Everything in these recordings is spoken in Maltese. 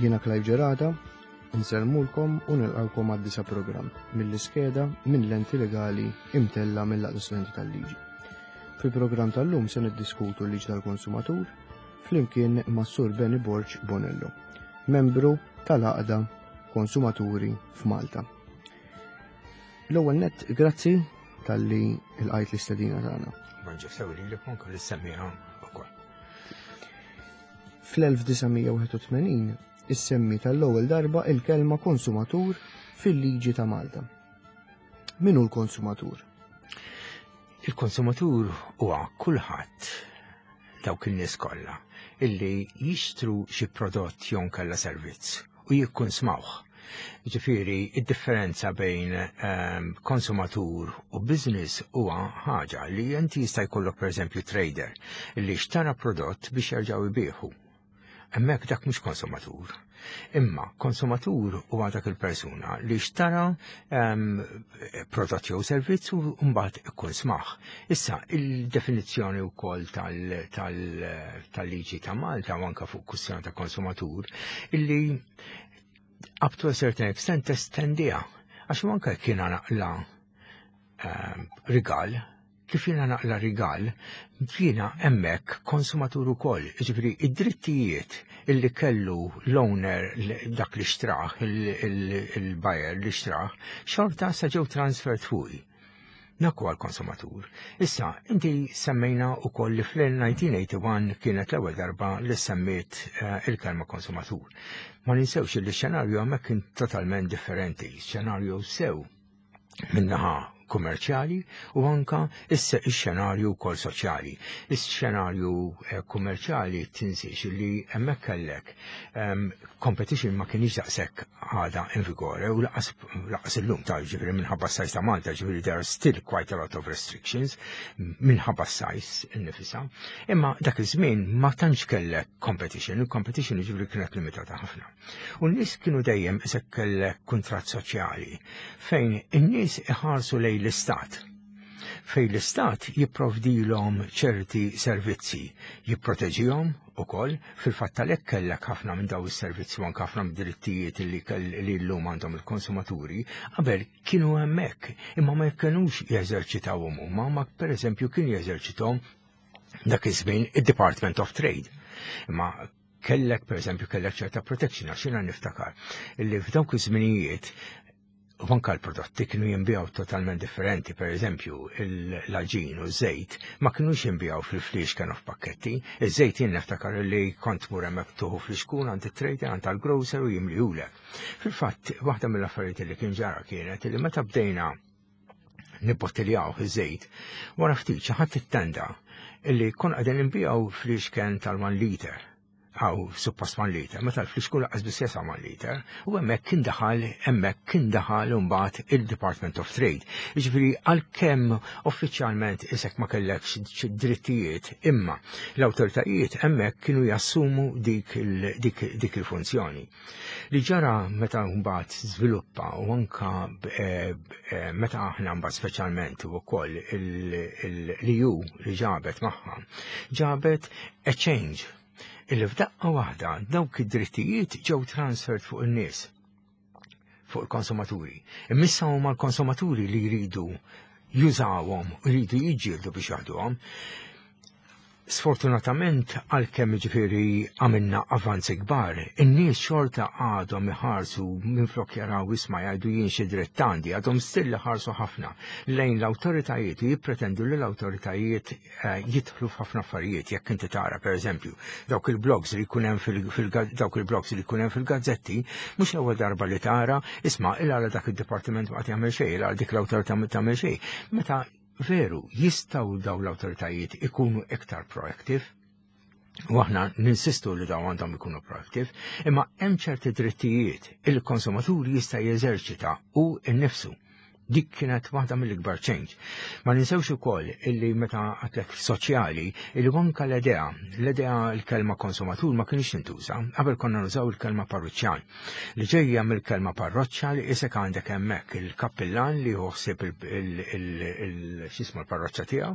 Jiena Clive Gerada, insellmulkom u nilqawkom għad-disa programm mill-iskeda minn lenti legali imtella mill-Għaqda Studenti tal-Liġi. Fil-programm tal-lum se niddiskutu l-liġi tal-konsumatur flimkien ma' Sur Benny Borg Bonello, membru tal-Għaqda Konsumaturi f'Malta. L-ewwel nett, grazzi talli lqajt l-istedina tagħna. Bonġu sew lilek u anke lis-semmiegħa wkoll. Fl-1981 issemmi tal-ewwel darba il-kelma konsumatur fil-liġi ta' Malta. Min hu l-konsumatur? Il-konsumatur huwa kulħadd dawk in-nies kollha illi jixtru xi prodott jew nkella servizz u jikkunsmawh. Ġifieri, id-differenza bejn ehm, konsumatur u business huwa ħaġa li inti jista' jkollok pereżempju trader li xtara prodott biex jerġgħu jbieħu. Hemmhekk dak mhux konsumatur. Imma konsumatur huwa dak il-persuna li xtara ehm, prodott jew servizz u mbagħad ikun smaħ. Issa, il-definizzjoni wkoll tal-liġi ta' Malta u anke fuq kwistjoni ta' konsumatur illi up to a certain extent testendiha għax anke kien naqla ehm, rigal Kif jiena naqla rigal, jiena hemmhekk konsumatur ukoll, jiġifieri id-drittijiet illi kellu l-owner dak li xtrah, il-buyer li xtrah, xorta sa ġew transferred fuqi. Dak huwa l-konsumatur. Issa, inti semmejna wkoll li fl-1981 kienet l-ewwel darba li semmiet eh, il-kelma konsumatur. Ma ninsewx li x-xenarju hemmhekk kien totalment differenti, xenarju sew minnaħa kummerċjali u anka ix-xenarju wkoll soċjali. Ix-xenarju eh, kummerċjali tinsiex li hemmhekk kellek ehm, competition ma kienx daqshekk għada in vigore u laqas illum ta' ġifieri minħabba s-sajs ta' Malta ġifieri there are still quite a lot of restrictions minħabba s-sajs innifisa. Imma dak iż-żmien ma tantx kellek competition, il-competition ġifieri kienet limitata ħafna. U n-nies kienu dejjem isek kellek kuntratt soċjali fejn in-nies iħarsu lejn l-istat. Fejn l-istat jipprovdilhom ċerti servizzi, jipproteġihom ukoll, fil-fatt għalhekk kellek ħafna minn daw is-servizzi u anke ħafna mid-drittijiet li li llum għandhom il-konsumaturi, qabel kienu hemmhekk, imma ma kinux jeżerċitawhom huma, ma pereżempju kien jeżerċithom dak iż-żmien id-Department of Trade. Imma kellek pereżempju kellek ċerta protection għax jiena niftakar li f'dawk iż-żminijiet u anka l-prodotti kienu jinbijaw totalment differenti, per eżempju, l-aġin u z-żejt ma kienux jinbijaw fil-flix kienu f'pakketti. Iż-żejt jien niftakar li kont mur hemmhekk tuħu fl-iskun għand it-trader għand tal-grocer u jimlihulek. Fil-fatt, waħda mill-affarijiet li kien ġara kienet li meta bdejna nibbottiljaw iż-żejt, wara ftit xi ħadd ittenda illi kon qegħdin inbijaw fliexken tal-1 liter għaw suppost 1 liter, meta l-flixkun laqqas biss jesa' 1 liter, u hemmhekk kien daħal hemmhekk kien daħal imbagħad il-Department of Trade. Jiġifieri għalkemm uffiċjalment isek ma kellekx drittijiet, imma l-awtoritajiet hemmhekk kienu jassumu dik il-funzjoni. Li ġara meta mbagħad żviluppa u anka eh, eh, meta aħna mbagħad speċjalment ukoll l-EU li ġabet magħha, ġabet a change illi f'daqqa waħda dawk id-drittijiet ġew transferred fuq in-nies fuq il-konsumaturi. Imissa huma l-konsumaturi li jridu jużawhom, jridu jiġġieldu biex jaħduhom. Sfortunatament għalkemm jiġifieri għamilna avanzi kbar, in-nies xorta għadhom iħarsu minflok jaraw isma' jgħidu jien xi dritt għandi, għadhom still iħarsu ħafna lejn l-awtoritajiet u jippretendu li l-awtoritajiet eh, jidħlu f'ħafna affarijiet jekk inti tara pereżempju dawk il-blogs li jkun hemm fil dawk il-blogs li jkun hemm fil-gazzetti, mhux l-ewwel darba li tara isma' il għala dak id-dipartiment ma qed jagħmel xejn, il għala dik l-awtorità ma tagħmel xejn. Meta Veru, jistgħu dawn l-awtoritajiet ikunu iktar proactive, u aħna ninsistu li dawn għandhom ikunu proactive, imma hemm ċerti drittijiet il-konsumatur jista' jeżerċita u nnifsu. Dik kienet waħda mill-ikbar change. Ma ninsewx ukoll illi meta għatlek soċjali, illi anka l-idea, l-idea l-kelma konsumatur ma kienx tintuża, qabel konna nużaw il-kelma parruċċjan. Li ġejja mill-kelma parroċċa li isek għandek hemmhekk il-kappillan li ħsieb il-xismu l-parroċċa tiegħu.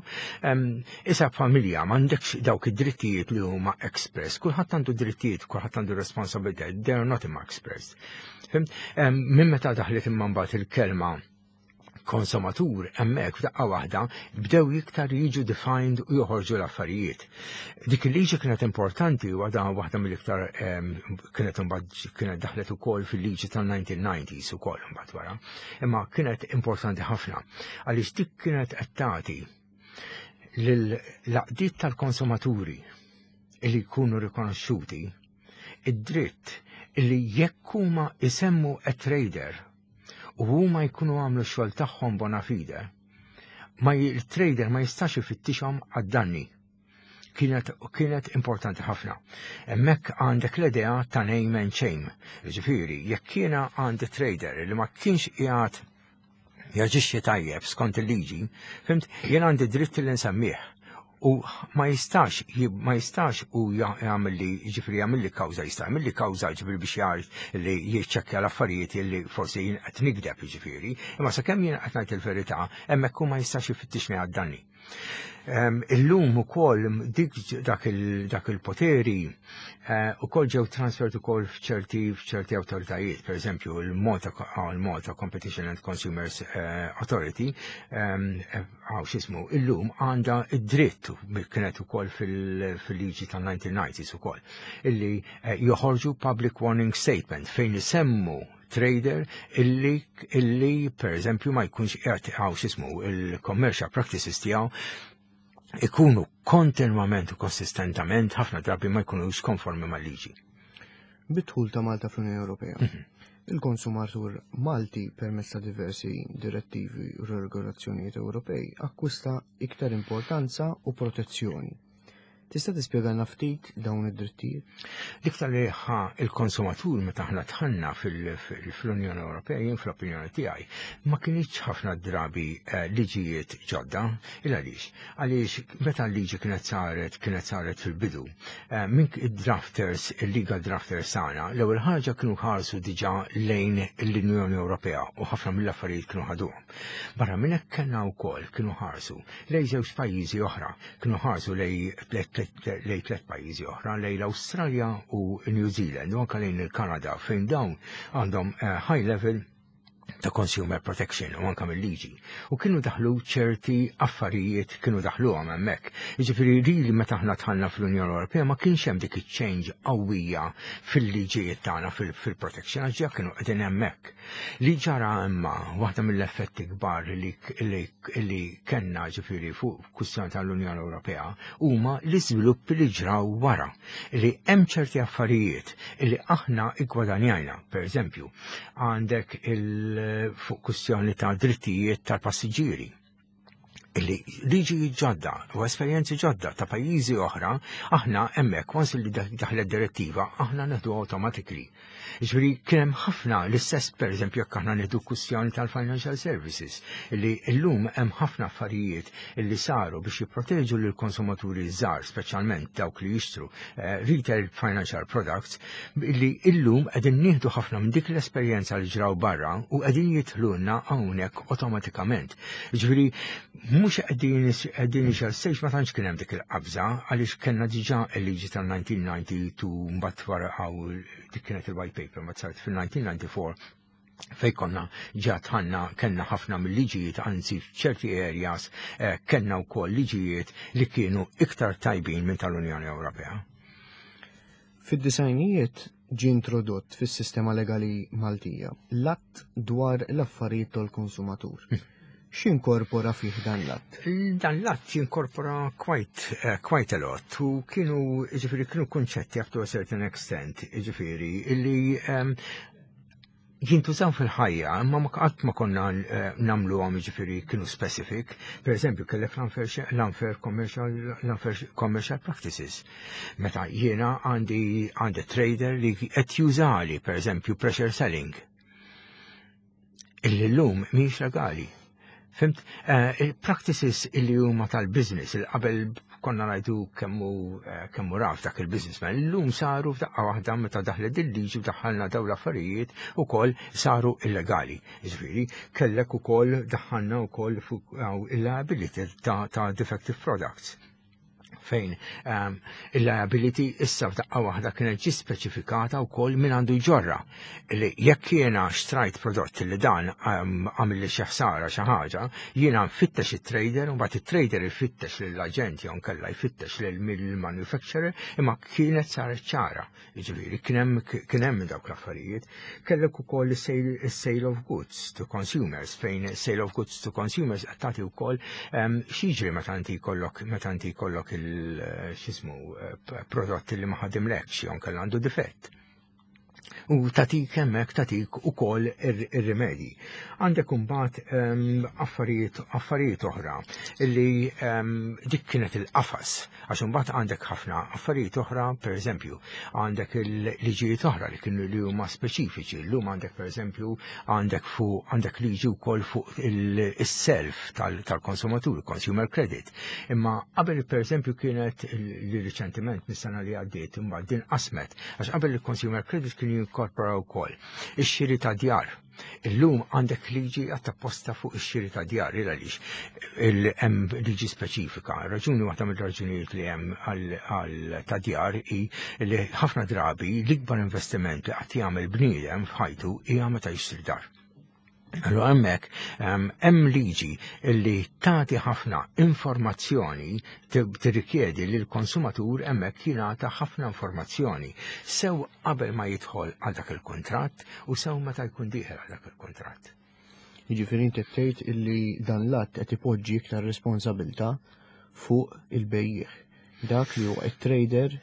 Isa familja m'għandekx dawk id-drittijiet li huma express, kulħadd għandu drittijiet, kulħadd għandu responsabilità, they are not imma express. Minn meta daħlet imma mbagħad il-kelma konsumatur hemmhekk f'daqqa waħda bdew iktar jiġu defined u joħorġu l-affarijiet. Dik il-liġi kienet importanti u għadha waħda mill-iktar kienet imbagħad kienet daħlet ukoll fil-liġi tal-1990s ukoll imbagħad wara. Imma kienet importanti ħafna għaliex dik kienet qed tagħti lill-laqdiet tal-konsumaturi li jkunu rikonoxxuti id-dritt li jekk huma isemmu a trader u huma jkunu għamlu x-xogħol tagħhom bona fide, ma il-trader ma jistax ifittixhom għad-danni. Kienet, kienet importanti ħafna. Hemmhekk għandek l-idea ta' name and shame. Ġifieri, jekk jiena għandi trader li ma kienx qiegħed jaġixxi tajjeb skont il-liġi, fhimt, jien għandi dritt li nsemmih. U ma jistax, ma jistax u jagħmel li, ġifieri jagħmel li kawża, jista' jagħmel li kawża ġifieri biex jgħid li jiċċekkja l-affarijiet li forsi jien qed nikdeb ġifieri, imma sakemm jien qed ngħid il-verità, hemmhekk hu ma jistax ifittixni għad-danni. Illum ukoll dik dak il-poteri ukoll ġew transferred ukoll f'ċerti f'ċerti awtoritajiet, per eżempju il-Malta il-Malta Competition and Consumers Authority għaw x'ismu illum għandha id-dritt kienet ukoll fil-liġi tal-1990s ukoll illi joħorġu public warning statement fejn isemmu trader illi illi per eżempju ma jkunx qiegħed għaw x'ismu il-commercial practices tiegħu ikunu kontinwament u konsistentament ħafna drabi ma jkunux konformi mal-liġi. Bid-dħul ta' Malta fl-Unjoni Ewropea. Il-konsumatur Malti permezz ta' diversi direttivi u regolazzjonijiet Ewropej akkwista iktar importanza u protezzjoni. Tista' tispjegalna ftit dawn id-drittijiet? L-iktar li ħa il-konsumatur meta aħna dħalna fil-Unjoni Ewropea, jien fl-opinjoni tiegħi, ma kienx ħafna drabi liġijiet ġodda, il għaliex? Għaliex meta l-liġi kienet saret fil-bidu, minn id-drafters, il-legal drafters tagħna, l-ewwel ħaġa kienu ħarsu diġà lejn l-Unjoni Ewropea u ħafna mill-affarijiet kienu ħaduhom. Barra minn hekk kellna wkoll kienu ħarsu lejn żewġ pajjiżi oħra, kienu ħarsu lejn tliet pajjiżi oħra, lejn l-Awstralja u New Zealand u anke lejn il-Kanada fejn dawn għandhom high level ta' consumer protection u anka mill-liġi. U kienu daħlu ċerti affarijiet kienu daħluhom hemmhekk. Jiġifieri li meta aħna dħalna fl-Unjoni Ewropea ma kienx hemm dik iċ-change qawwija fil-liġijiet tagħna fil-protection għax ġa kienu qegħdin hemmhekk. Li ġara imma waħda mill-effetti kbar li kellna ġifieri fuq kwistjoni tal-Unjoni Ewropea huma l-iżviluppi li ġraw wara li hemm ċerti affarijiet li aħna iggwadanjajna. Per eżempju, għandek il fuq kwistjoni ta' drittijiet tal-passiġġieri illi liġi ġodda u esperjenzi ġodda ta' pajjiżi oħra, aħna hemmhekk once li daħlet direttiva, aħna neħdu automatically. Ġifieri kien hemm ħafna l-istess pereżempju jekk aħna nieħdu kwistjoni tal-financial services, illi llum hemm ħafna affarijiet illi saru biex jipproteġu lill konsumaturi żgħar, speċjalment dawk li jixtru retail financial products, illi illum qegħdin nieħdu ħafna minn dik l-esperjenza li ġraw barra u qegħdin jidħlulna hawnhekk awtomatikament. Ġifieri mhux qegħdin qegħdin initial stage ma tantx kien hemm dik il-qabża għaliex kellna diġà il-liġi tal-1992 mbagħad wara dik kienet il-white paper ma saret fil-1994 fej konna ġa dħalna kellna ħafna mill-liġijiet, anzi f'ċerti areas kellna wkoll liġijiet li kienu iktar tajbin minn tal-Unjoni Ewropea. Fid-disajnijiet ġie introdott fis-sistema legali Maltija l-att dwar l-affarijiet tal-konsumatur. X'inkorpora fih dan l-att? Dan l-att jinkorpora quite a lot u kienu, ġifieri, kienu kunċetti up to a certain extent, ġifieri, illi jintużaw fil-ħajja, imma ma qatt ma konna nagħmluhom ġifieri kienu specific. Per eżempju, kellek l-unfair commercial practices. Meta jiena għandi trader li qed jużali, per eżempju, pressure selling. Illi llum mhijiex legali. Fhimt, il-practices illi huma tal-business, il qabel konna ngħidu kemmu kemmu raf dak il-businessman, illum saru f'daqqa waħda meta daħlet il-liġi u daħħalna dawn l-affarijiet ukoll saru illegali. Jiġifieri, kellek ukoll daħħalna wkoll fuq il-liability ta' defective products fejn il-liability issa f'daqqa waħda kienet ġi speċifikata wkoll min għandu jġorra. Li jekk jiena xtrajt prodott li dan għamilli xi ħsara xi ħaġa, jiena nfittex it-trader u mbagħad it-trader ifittex lill-aġent jew nkella jfittex lill-manufacturer, imma kienet saret ċara. Jiġifieri kien hemm dawk l-affarijiet. Kellek ukoll is-sale of goods to consumers fejn sale of goods to consumers qed tagħti wkoll x'jiġri meta inti jkollok meta inti jkollok il x'ismu prodott li ma ħadimlekx jew nkella għandu difett. U tatik hemmhekk tatik ukoll ir-rimedji. Għandek imbagħad affarijiet oħra li dik kienet il-qafas, għax imbagħad għandek ħafna affarijiet oħra, pereżempju, għandek il-liġijiet oħra li kienu li huma speċifiċi. Llum għandek pereżempju għandek fuq għandek liġi wkoll fuq is-self tal-konsumatur, consumer credit. Imma qabel pereżempju kienet li riċentement mis-sena li għaddiet imbagħad din qasmet, għax qabel il-consumer credit kien jinkorpora wkoll ix-xiri ta' djar. Illum għandek liġi għat-apposta fuq ix-xiri ta' djar, il għaliex hemm liġi speċifika. Raġuni waħda mill-raġunijiet li hemm għal ta' djar hi li ħafna drabi l-ikbar investiment li qatt jagħmel bniedem f'ħajtu hija meta jixtri dar. Allura hemmhekk hemm liġi li tagħti ħafna informazzjoni, tirrikjedi li l-konsumatur hemmhekk jingħata ħafna informazzjoni sew qabel ma jidħol għal dak il-kuntratt u sew meta jkun dieħel għal dak il-kuntratt. Jiġifieri inti tgħid illi dan l-att qed ipoġġi iktar responsabilità fuq il-bejjiegħ. Dak li huwa it-trader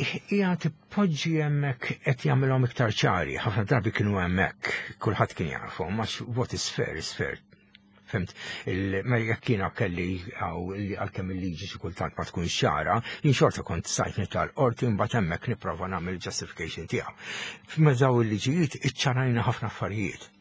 Qed hija tipoġġi hemmhekk qed jagħmilhom iktar ċari, ħafna drabi kienu hemmhekk, kulħadd kien jafhom, għax what is fair is fair. Fhimt, ma jekk jiena kelli għaw li għalkemm il-liġi xi kultant ma tkunx ċara, jien xorta kont stajt nitla' l-qorti mbagħad hemmhekk nipprova nagħmel justification tiegħu. F'mezz daw il-liġijiet iċċarajna ħafna affarijiet.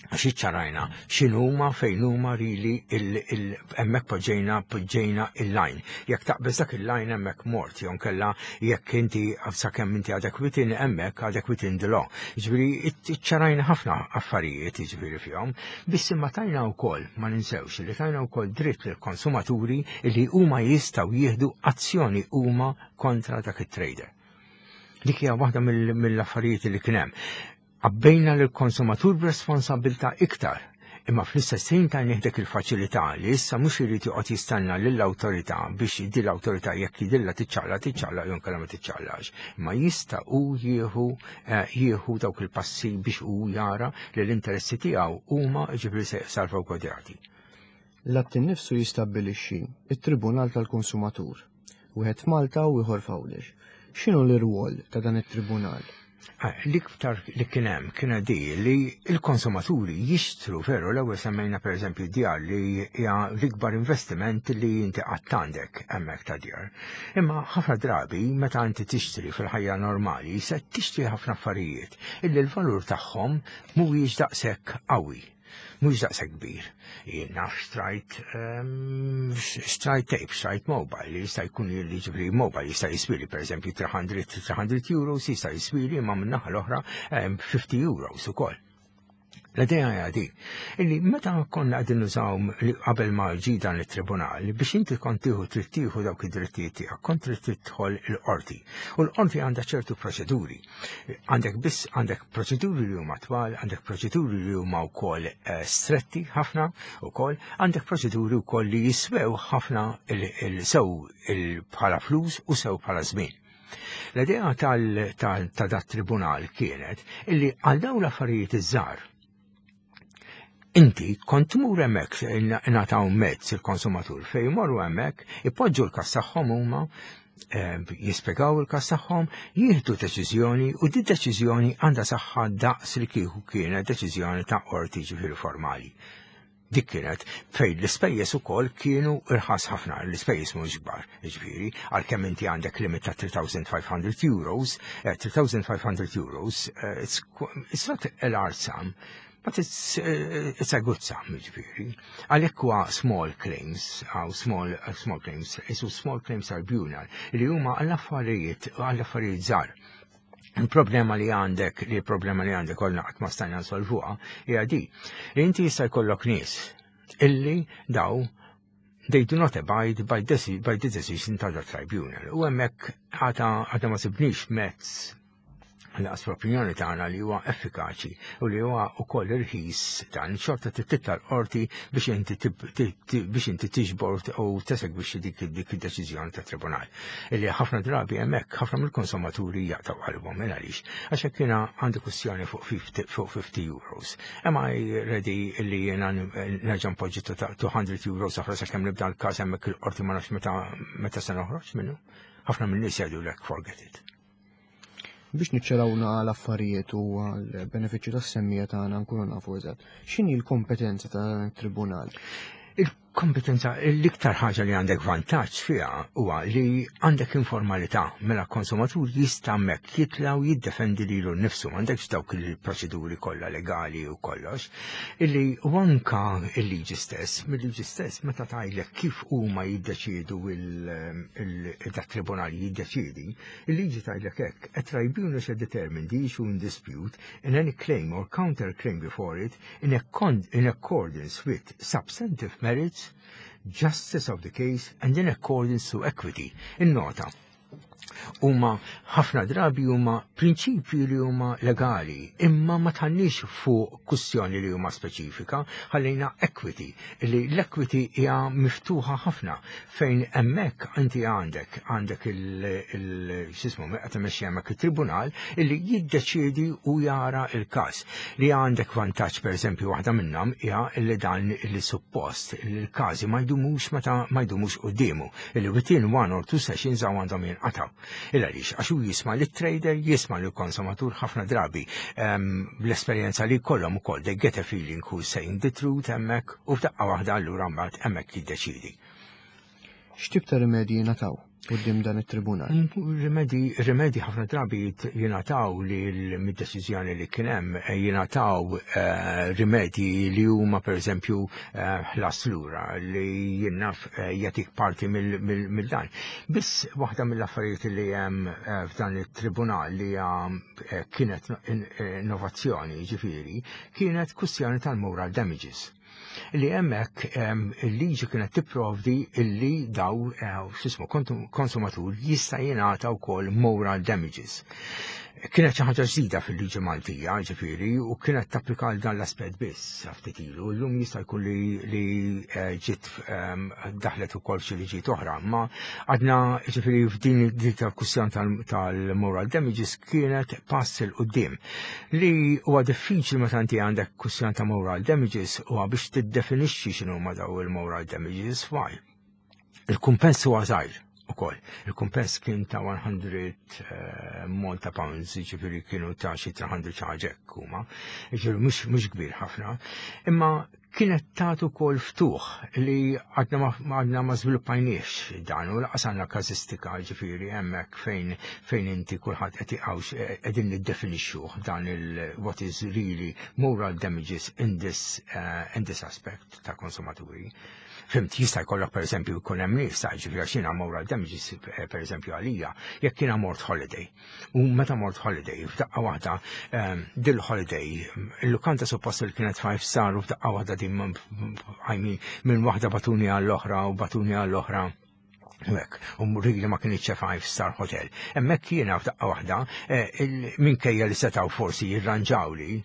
Għax iċċarajna x'inhuma fejn huma rili hemmhekk poġġejna il-line. Jekk taqbeż dak il-line hemmhekk mort, jew nkella jekk inti sakemm inti għadek within hemmhekk għadek within the law. Jiġifieri iċċarajna ħafna affarijiet jiġifieri fihom, biss imma tajna wkoll, ma ninsewx li tajna wkoll dritt lill-konsumaturi li huma jistgħu jieħdu azzjoni huma kontra dak it-trader. Dik hija waħda mill-affarijiet li kien hemm. Għabbejna lill-konsumatur b'responsabbiltà iktar, imma fl-istess ħin tajnieh dik il-faċilità li issa mhux irid joqgħod jistenna lill-awtorità biex di l-awtorità jekk jidhirlha tiċċaqlaq tiċċaqlaq jew inkella ma tiċċaqlaqx. Imma jista' hu jieħu dawk il-passi biex hu jara li l-interessi tiegħu huma jiġifieri se salvagwardjati. L-att innifsu jistabbilixxi t-Tribunal tal-Konsumatur, wieħed f'Malta u ieħor f'Għawdex. X'inhu l-irwol ta' dan it-tribunal? L-iktar li kien hemm kienet di li l-konsumaturi jixtru veru l-ewwel semmejna pereżempju djar li hija l-ikbar investiment li inti qatt għandek hemmhekk ta' djar. Imma ħafna drabi meta inti tixtri fil-ħajja normali se tixtri ħafna affarijiet illi l-valur tagħhom mhuwiex daqshekk qawwi. Mhux daqshekk kbir. Jien naf xtrajt tape, xtrajt mobile, li jista' jkun li ġifieri mobile jista' jiswili pereżempju 300 euros, jista' jiswili imma min-naħa l-oħra 50 euros ukoll. L-idea hija di, illi meta konna qegħdin nużaw qabel ma ġi dan it-tribunal biex inti kont tieħu trid tieħu dawk id-drittijiet tiegħek, kont trid tidħol il-qorti. U l-qorti għandha ċertu proċeduri. Għandek biss għandek proċeduri li huma twal, għandek proċeduri li huma wkoll stretti ħafna wkoll, għandek proċeduri wkoll li jiswew ħafna sew bħala flus u sew bħala żmien. L-idea ta' dat tribunal kienet illi għal dawn l-affarijiet iż-żgħar inti kont tmur hemmhekk ingħataw mezz il-konsumatur fejn jmorru hemmhekk, ipoġġu l-każ tagħhom huma, jispjegaw il-każ tagħhom, jieħdu deċiżjoni u di deċiżjoni għandha saħħa daqs li kieku kienet deċiżjoni ta' qorti ġifieri formali. Dik kienet fejn l-ispejjeż ukoll kienu irħas ħafna, l-ispejjeż mhux kbar, jiġifieri, għalkemm inti għandek limit ta' 3500 euros, 3500 euros, it's not a large sum, but it's a good sum, jiġifieri. Għalhekk huwa small claims, għaw small claims, isu small claims tribunal, li huma għall-affarijiet, għall-affarijiet żgħar. Il-problema li għandek, li il-problema li għandek kollna qatt ma stajna nsolvuha, hija di. Li inti jista' jkollok nies illi daw they do not abide by the decision ta' tribunal. U hemmhekk għada ma sibniex mezz laqas fl-opinjoni tagħna li huwa effikaċi u li huwa wkoll irħis dan xorta titla l-qorti biex inti tiġbor u tesegwixxi dik id-deċiżjoni ta' tribunal. Illi ħafna drabi hemmhekk ħafna mill-konsumaturi jaqtaw qalbhom minn għaliex. Għax hekk jiena għandi kwistjoni fuq 50 euros. Am I ready illi jiena nerġa' npoġġi 200 euros oħra sakemm nibda l-każ hemmhekk il-qorti ma nafx meta se noħroġ minnu? Ħafna minn nies jgħidulek forget it. Biex niċċarawna l-affarijiet u għal-benefiċċju tas-semmiegħa tagħna nkunu nafu eżatt. X'inhi l-kompetenza ta' tribunal? Il-kompetenza, l-iktar ħaġa li għandek vantaġġ fiha huwa li għandek informalità, mela konsumatur jista' hemmhekk jitla' u jiddefendi lilu nnifsu, m'għandekx dawk il-proċeduri kollha legali u kollox, illi u anka il-liġi stess, mill-liġi stess meta tgħidlek kif huma jiddeċiedu il-tribunal jiddeċiedi, il-liġi tgħidlek hekk, a tribunal shall determine the issue in dispute in any claim or counter claim before it in accordance with substantive merits, justice of the case, and in accordance to equity. In-nota, huma ħafna drabi huma prinċipji li huma legali, imma ma tħannix fuq kwistjoni li huma speċifika, ħallejna equity, li l-equity hija miftuħa ħafna fejn hemmhekk inti għandek il-xismu qed imexxi hemmhekk it-tribunal illi jiddeċiedi u jara il-każ. Li għandek vantaġġ, pereżempju, waħda minnhom hija li dan li suppost il-każi ma jdumux meta ma jdumux quddiemu, illi within one or two sessions għaw għandhom jinqataw. Illa għaliex, għax hu jisma' lit trader, jisma' lill konsumatur ħafna drabi bl-esperjenza li jkollhom ukoll they get a feeling who's saying the truth hemmhekk u f'daqqa waħda allura mbagħad hemmhekk jiddeċidi. X'tip ta' rimedji jingħataw quddiem dan it-tribunal? Rimedji ħafna drabi jingħataw li mid-deċiżjoni li kien hemm jingħataw rimedji li huma pereżempju ħlas lura li jinnaf jagħtik parti mill-dan. Biss waħda mill-affarijiet li hemm f'dan it-tribunal li kienet innovazzjoni, ġifieri, kienet kwistjoni tal-moral damages li hemmhekk il-liġi kienet tipprovdi illi daw x'ismu konsumatur jista' jingħata wkoll moral damages. Kienet xi ħaġa ġdida fil-liġi Maltija, ġifieri, u kienet tapplika għal dan l-aspett biss ftit ilu. Llum jista' jkun li ġiet daħlet ukoll xi liġijiet oħra, ma għadna ġifieri f'din dik tal-kwistjoni tal-moral damages kienet pass 'il quddiem. Li huwa diffiċli meta inti għandek kwistjoni ta' moral damages huwa biex tiddefinixxi x'inhu daw il-moral damages, why? Il-kumpens huwa żgħir ukoll. Il-kumpens kien ta' 100 Malta pounds, ġifieri kienu ta' xi 300 xi ħaġa hekk huma. Ġifieri mhux kbir ħafna. Imma kienet tagħtu wkoll ftuħ li għadna ma żviluppajniex dan u laqas għandna każistika, ġifieri hemmhekk fejn inti kulħadd qed iqgħux qegħdin niddefinixxuh dan il what is really moral damages in this aspect ta' konsumaturi. Fhimt, jista' jkollok pereżempju jkun hemm nies ta' ġifieri għax jiena moral damages pereżempju għalija, jekk jiena mort holiday. U meta mort holiday, f'daqqa waħda dil holiday, il-lukanda suppost li kienet 5 star u f'daqqa waħda din I mean, minn waħda batuni għall-oħra u batuni għall-oħra. Hekk, u really ma kienx 5 star hotel. Hemmhekk jiena f'daqqa waħda minkejja li setgħu forsi jirranġawli,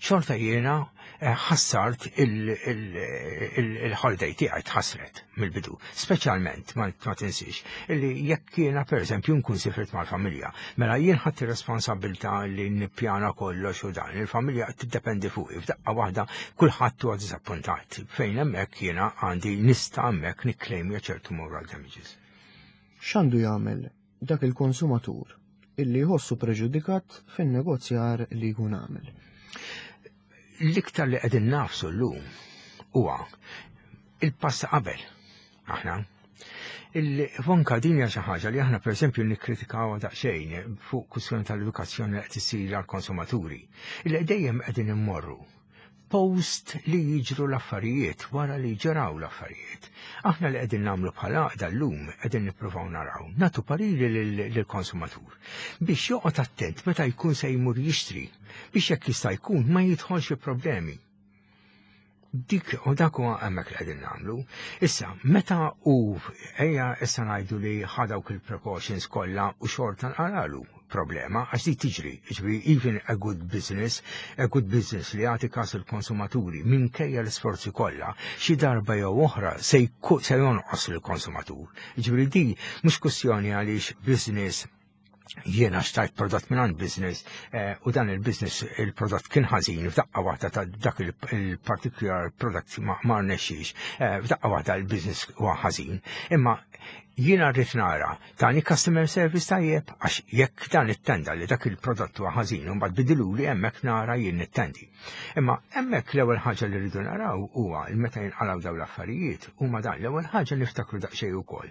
xorta jiena ħassart il-holiday tiegħi, tħassret mill-bidu. Speċjalment ma tinsiex illi jekk jiena pereżempju nkun sifirt mal-familja, mela jien ħadd ir-responsabilità li nippjana kollox u dan, il-familja tiddependi fuqi, f'daqqa waħda kulħadd huwa diżappuntat. Fejn hemmhekk jiena għandi nista' hemmhekk nikklejmja ċertu moral damages. X'għandu jagħmel dak il-konsumatur illi jħossu preġudikat fin-negozjar li jkun għamel? L-iktar li qegħdin nafsu llum huwa il-pass qabel. Aħna Il-vonka din hija xi ħaġa li aħna pereżempju nikkritikaw daqsxejn fuq kwistjoni tal-edukazzjoni li qed issir għall-konsumaturi. Illi dejjem qegħdin immorru post li jiġru l-affarijiet wara li ġraw l-affarijiet. Aħna li qegħdin nagħmlu bħala għaqda llum qegħdin nippruvaw naraw, nagħtu pariri lill-konsumatur biex joqgħod attent meta jkun se jmur jixtri biex jekk jista' jkun ma jidħolx fi problemi. Dik u dak huwa hemmhekk li qegħdin nagħmlu. Issa, meta u ejja issa ngħidu li ħa dawk il-precautions kollha u xorta nqaralu problema, għax di tiġri, ġifieri even a good business, a good business li jagħti każ il-konsumaturi minkejja l-isforzi kollha, xi darba jew oħra se jonqos lill-konsumatur. Ġifieri di mhux kwestjoni għaliex business jiena xtajt prodott minn business eh, u dan il-business il-prodott kien ħażin f'daqqa waħda ta' dak il-particular product ma rnexxix, eh, f'daqqa waħda il-business huwa ħażin. Imma jiena rrid nara tani customer service tajjeb għax jekk dan it-tenda li dak il-prodott huwa ħażin u mbagħad bidiluli hemmhekk nara jien nittendi. Imma hemmhekk l-ewwel ħaġa li rridu naraw huwa li meta jinqalgħu dawn l-affarijiet huma dan l-ewwel ħaġa niftakru daqsxejn ukoll.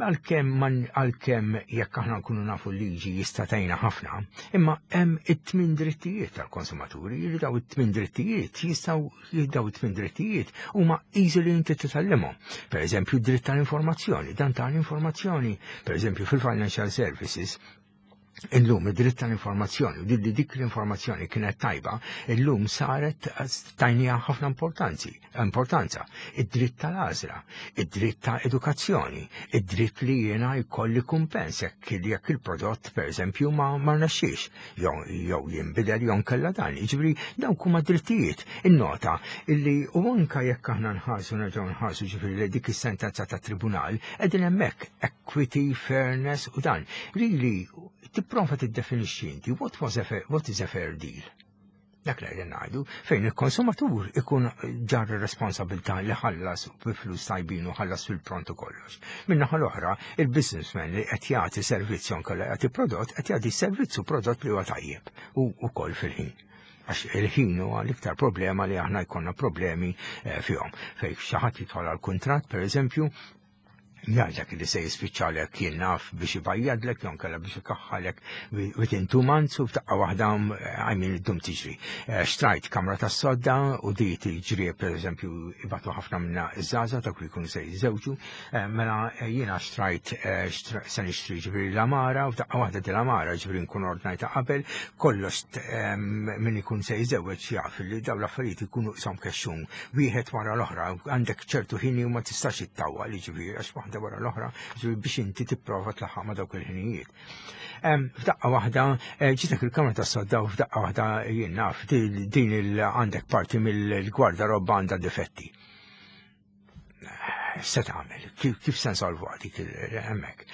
Għalkemm għalkemm jekk aħna nkunu nafu l-liġi jista' tgħinna ħafna, imma hemm it-tmien drittijiet tal-konsumaturi li daw it-tmien drittijiet jistgħu daw it-tmien drittijiet huma easily inti titgħallimhom. Per eżempju, dritt tal-informazzjoni, dan tal-informazzjoni, per eżempju, fil-financial services, illum id-dritt tal-informazzjoni u li dik l-informazzjoni kienet tajba, illum saret tajnija ħafna importanzi, importanza. Id-dritt tal-għażla, id-dritt ta' edukazzjoni, id-dritt li jiena jkolli kumpens jekk jekk il-prodott pereżempju ma ma rnexxiex jew jinbidel jew nkella dan. Jiġifieri dawk huma drittijiet. Innota illi u anka jekk aħna nħarsu nerġgħu nħarsu ġifieri li dik is-sentenza ta' tribunal qegħdin hemmhekk equity, fairness u dan. Really tipprova tiddefinixxi inti what was a fair, what is a fair deal. Dak li qegħdin ngħidu fejn il-konsumatur ikun ġar ir-responsabilità li ħallas bi flus tajbin u ħallas fil-pront u kollox. Min-naħa l-oħra, il-businessman li qed jagħti servizz jew inkella jagħti prodott qed jagħti servizz u prodott li huwa tajjeb u wkoll fil-ħin. Għax il-ħin huwa l-iktar problema li aħna jkollna problemi eh, fihom. Fejn xi ħadd jidħol għal kuntratt, pereżempju, jgħidlek li se jispiċċalek jien naf biex ibajjadlek jew inkella biex ikaħħalek within 2 months u f'daqqa waħda I mean id-dum tiġri. Eh, xtrajt kamra tas sodda u di tiġri per eżempju ibatu ħafna minna iż-żgħażagħ dak li jkunu se jiżżewġu, eh, mela eh, jiena xtrajt se nixtri ġifieri l-għamara u f'daqqa waħda di l-għamara ġifieri nkun ordnajta qabel, kollox min ikun se jiżewweġ jaf li dawn l-affarijiet ikunu qishom kexxun wieħed wara l-oħra, għandek ċertu ħini u ma tistax ittawwa li ġifieri għax waħda wara l-oħra, ġifieri biex inti tipprova tlaħħaq ma' dawk il-ħinijiet. F'daqqa waħda, eh, ġitek il-kamra ta' sodda u f'daqqa waħda jien naf din il għandek parti mill-gwardarobba għandha difetti. Eh, se tagħmel, kif se nsolvu dik hemmhekk?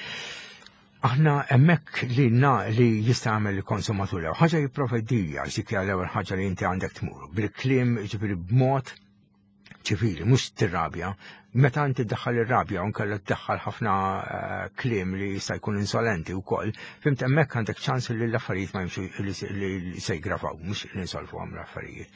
Aħna hemmhekk li na li jista' jagħmel il-konsumatur l ħaġa jipprovdija għax dik hija l-ewwel ħaġa li inti għandek tmur bil-kliem ġifieri b'mod ċivili, mhux tirrabja. Meta inti ddaħħal ir-rabja u nkella ddaħħal ħafna eh, kliem li jista' jkun insolenti wkoll, fhimt hemmhekk għandek ċans li l-affarijiet ma jimxu li se jgravaw, mhux li nsolvu għam l-affarijiet.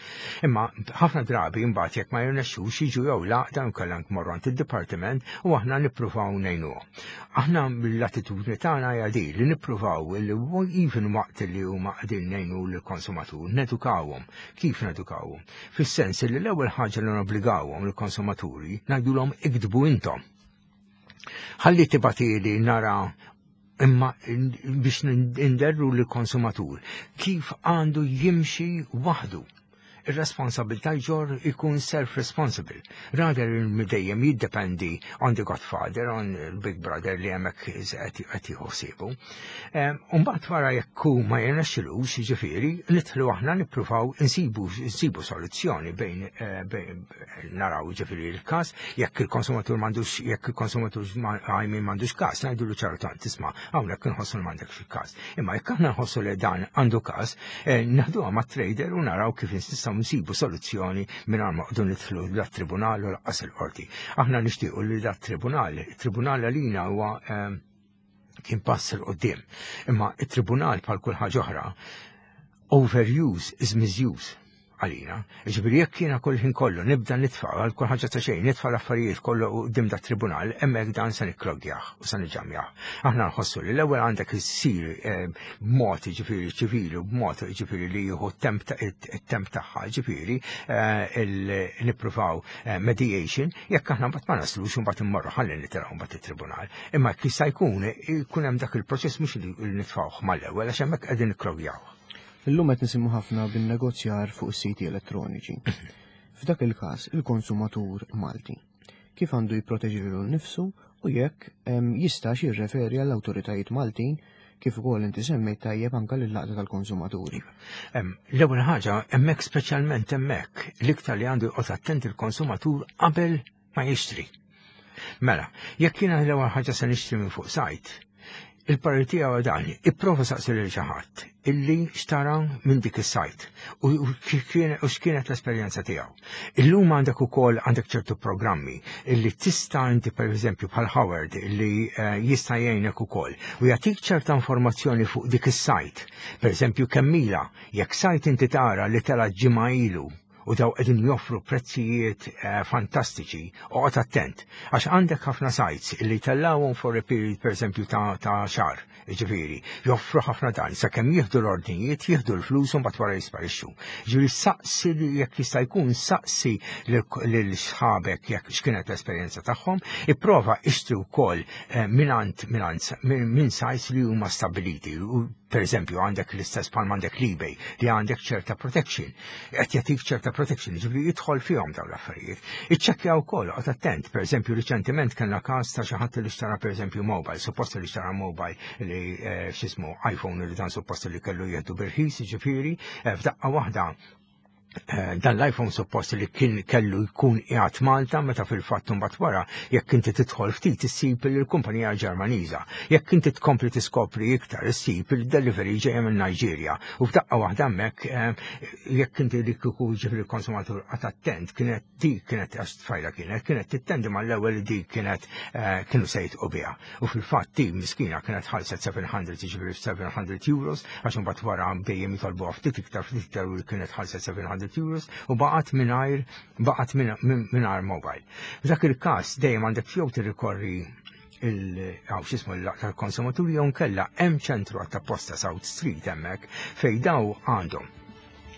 Imma ħafna drabi mbagħad jekk ma jirnexxux jiġu jew l-għaqda nkella nmorru għand id-dipartiment u aħna nippruvaw ngħinuhom. Aħna mill-attitudni tagħna hija di li nippruvaw li even waqt li huma qegħdin ngħinu lill-konsumatur, nedukawhom. Kif nedukawhom? Fis-sens li l-ewwel ħaġa li nobbligawhom il-konsumaturi ngħidulhom iktbu intom. Ħalli tibgħatili nara imma biex inderru l-konsumatur kif għandu jimxi waħdu ir-responsabilità jġor ikun self-responsible. Rather dejjem jiddependi on the godfather, on the big brother li hemmhekk qed jieħu ħsiebu. Umbagħad wara jekk hu ma jirnexxilux, jiġifieri, nidħlu aħna nippruvaw insibu insibu soluzzjoni bejn eh, naraw ġifieri l-każ, jekk il-konsumatur m'għandux jekk il-konsumatur I mean m'għandux każ, ngħidulu ċertant tisma' hawnhekk inħossu li m'għandekx każ. Imma jekk aħna nħossu li dan għandu każ, eh, naħduha mat-trader u naraw kif nistgħu nsibu soluzzjoni mingħajr ma qdu nidħlu dat-tribunal u lanqas il-qorti. Aħna nixtiequ li dat-tribunal, il-tribunal għalina huwa eh, kien pass 'il quddiem. Imma it-tribunal bħal kull ħaġa oħra, overuse is misuse. għalina. Ġifieri jekk jiena kull ħin kollu nibda nitfa' għal kull ħaġa ta' xejn, nitfa' l-affarijiet kollu quddiem dat tribunal, hemmhekk dan se nikkloggjah u se niġġamjah. Aħna nħossu li l-ewwel għandek issir eh, b'mod ġifieri ċivili u b'mod ġifieri li jieħu t-temp tagħha ġifieri eh, nippruvaw eh, mediation, jekk aħna mbagħad ma naslux imbagħad immorru ħalli nitilgħu mbagħad it-tribunal. Imma jekk jista' jkun ikun hemm dak il-proċess mhux li nitfgħuh mal-ewwel għax hemmhekk qegħdin nikklogjaw. Illum qed nisimgħu ħafna bin-negozjar fuq is-siti elettroniċi. F'dak il-każ, il-konsumatur Malti kif għandu jipproteġi lilu nnifsu u jekk jistax jirreferi għall-awtoritajiet Maltin kif ukoll inti semmejt tajjeb anke lill-laqda tal-konsumaturi. L-ewwel ħaġa hemmhekk speċjalment hemmhekk l-iktar li għandu joqgħod attent il-konsumatur qabel ma jixtri. Mela, jekk jiena l-ewwel ħaġa se nixtri minn fuq sajt, il-parir tiegħu dan, ipprova saqsi lil xi ħadd illi xtara minn dik is-sajt u x'kienet l-esperjenza tiegħu. Illum għandek ukoll għandek ċertu programmi illi tista' inti pereżempju bħal Howard illi eh, jista' jgħinek ukoll u jagħtik ċerta informazzjoni fuq dik is-sajt. Pereżempju kemm ilha jekk sajt inti tara li tela' ġimgħa ilu u daw qegħdin joffru prezzijiet eh, fantastiċi, oqgħod attent, għax għandek ħafna sites li tellawhom for a period pereżempju ta', ta xahar, ġifieri, joffru ħafna dan, sakemm jieħdu l-ordnijiet, jieħdu l-flus u mbagħad wara jisparixxu. Ġifieri saqsi jekk jista' jkun saqsi lil sħabek jekk x'kienet l-esperjenza tagħhom, ipprova ixtri wkoll eh, mingħand mingħand minn sites li huma stabiliti u Per eżempju, għandek l-istess bħal għandek l-eBay li għandek ċerta protection. Qed jagħtik ċerta protection, ġifieri jidħol fihom dawn l-affarijiet. Iċċekkja wkoll, qgħod attent, per eżempju, riċentement kellna każ ta' xi ħadd li xtara per eżempju mobile, suppost li xtara mobile li eh, x'ismu iPhone li dan suppost li kellu jieħdu birħis, ġifieri, eh, f'daqqa waħda Eh, dan l-iPhone suppost li kien kellu jkun qiegħed Malta meta fil-fatt imbagħad wara jekk inti tidħol ftit issib li l-kumpanija Ġermaniża. Jekk inti tkompli tiskopri iktar issib li delivery ġejja minn Niġerja. U f'daqqa waħda hemmhekk eh, jekk inti li kieku ġifri l-konsumatur qatt attent kienet dik kienet għax tfajla kienet kienet tittendi mal-ewwel li dik kienet eh, kienu se jitqu biha. U fil-fatt di miskina kienet ħalset 700 jiġifieri 700 euros għax imbagħad wara dejjem jitolbuha ftit iktar ftit iktar u kienet ħalset 700 euros u baqgħet mingħajr baqgħet mingħajr mobile. F'dak il-każ dejjem għandek jew tirrikorri il-għaw xismu l-konsumaturi jew nkella hemm ċentru għat-tapposta South Street hemmhekk fejn daw għandhom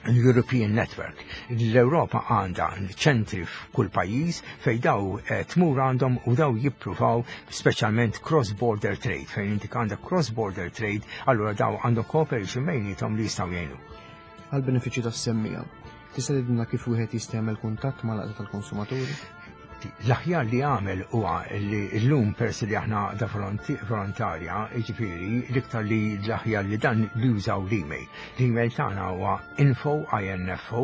l-European Network. L-Europa għandha ċentri f'kull pajjiż fejn daw eh, tmur għandhom u daw jippruvaw speċjalment cross-border trade. Fejn inti għandek cross-border trade, allura daw għandhom cooperation bejnietom li jistgħu jgħinu. Għal benefiċċju tas-semmija, tista' tgħidilna kif wieħed jista' jagħmel kuntatt mal-għaqda tal-konsumaturi? L-aħjar li għamel huwa li llum peress li aħna da volontarja, jiġifieri l-iktar li l-aħjar li dan li jużaw l-email. L-email tagħna huwa info info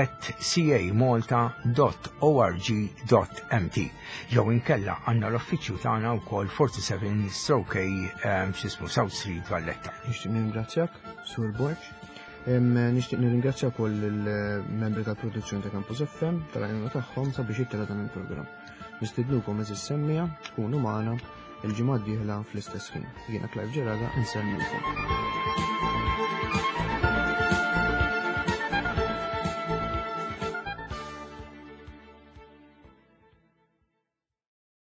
at camalta.org.mt jew inkella għandna l-uffiċċju tagħna wkoll 47 stroke ehm, x'ismu South Street Valletta. Nixtieq ningrazzjak, Sur Borg. Nixtieq nirringrazzja wkoll il-membri tal-produzzjoni ta' Campus FM tal-għajnuna tagħhom sabiex jittela dan il-programm. Nistidnukom eżis semmija tkunu magħna il-ġimgħa d-dieħla fl-istess ħin. Jiena Clive Ġeraga insellmilkom.